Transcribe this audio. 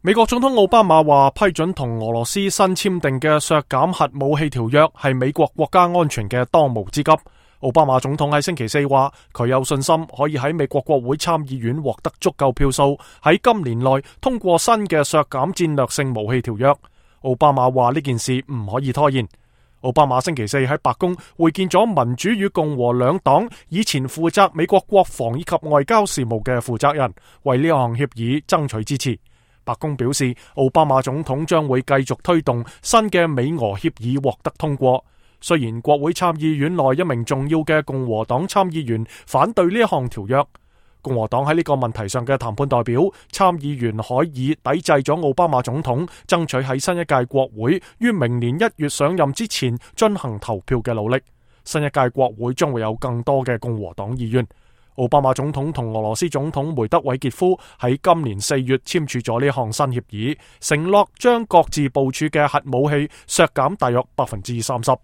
美國總統奧巴馬話批准同俄羅斯新簽訂嘅削減核武器條約係美國國家安全嘅當務之急。奧巴馬總統喺星期四話，佢有信心可以喺美國國會參議院獲得足夠票數，喺今年內通過新嘅削減戰略性武器條約。奧巴馬話呢件事唔可以拖延。奧巴馬星期四喺白宮會見咗民主與共和兩黨以前負責美國國防以及外交事務嘅負責人，為呢項協議爭取支持。白宮表示，奧巴馬總統將會繼續推動新嘅美俄協議獲得通過。雖然國會參議院內一名重要嘅共和黨參議員反對呢一項條約，共和黨喺呢個問題上嘅談判代表參議員可以抵制咗奧巴馬總統爭取喺新一屆國會於明年1月上任之前進行投票嘅努力。新一屆國會將會有更多嘅共和黨議員。奧巴馬總統同俄羅斯總統梅德韋傑夫喺今年4月簽署咗呢項新協議，承諾將各自部署嘅核武器削減大約30%。